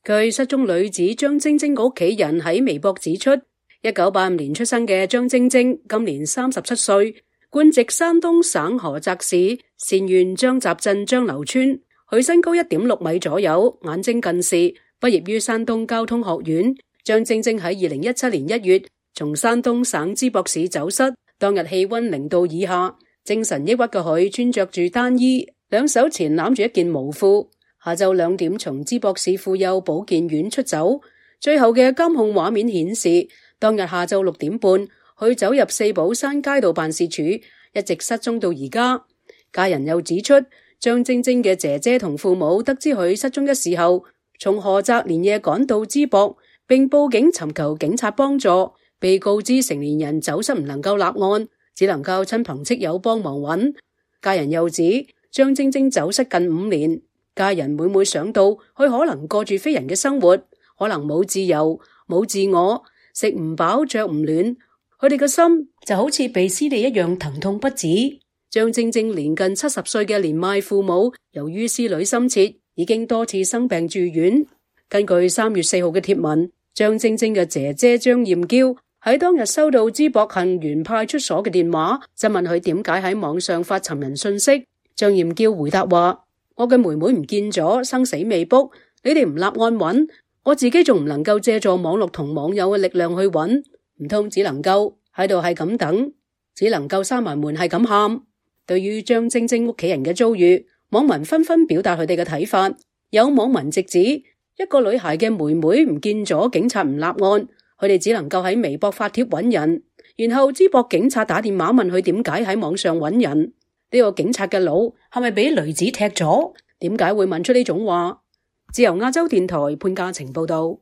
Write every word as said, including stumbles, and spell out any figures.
據失蹤女子張晶晶嘅屋企人喺微博指出，一九八五年出生嘅張晶晶今年三十七歲，官籍山東省菏澤市善縣張集鎮張樓村。佢身高一點六米左右，眼睛近視，畢業於山東交通學院。張晶晶喺二零一七年一月從山東省淄博市走失，當日氣溫零度以下，精神抑鬱嘅佢穿着住單衣，兩手纏攬住一件毛褲。下晝兩點從淄博市婦幼保健院出走，最後嘅監控畫面顯示，當日下晝六點半，佢走入四寶山街道辦事處，一直失蹤到而家。家人又指出，張晶晶嘅姐姐同父母得知佢失蹤嘅時候，從菏澤連夜趕到淄博，並報警尋求警察幫助。被告知成年人走失唔能夠立案，只能夠親朋戚友幫忙揾。家人又指，張晶晶走失近五年，家人每每想到佢可能過住非人嘅生活，可能冇自由、冇自我，食唔飽、着唔暖，佢哋嘅心就好似被撕裂一樣疼痛不止。張晶晶年近七十歲嘅年邁父母，由於思慮深切，已經多次生病住院。根據三月四號嘅貼文，張晶晶嘅姐姐張艷嬌喺當日收到淄博杏園派出所嘅電話，就問佢點解喺網上發尋人信息。張艷嬌回答話：我嘅妹妹唔見咗，生死未卜，你哋唔立案揾，我自己仲唔能夠借助網絡同網友嘅力量去揾，唔通只能夠喺度係咁等，只能夠閂埋門係咁喊。對於張晶晶屋企人嘅遭遇，網民紛紛表達佢哋嘅睇法。有網民直指，一個女孩嘅妹妹唔見咗，警察唔立案，佢哋只能夠喺微博發帖揾人，然後淄博警察打電話問佢點解喺網上揾人。呢個警察嘅腦係咪俾雷子踢咗？點解會問出呢種話？自由亞洲電台潘嘉晴報道。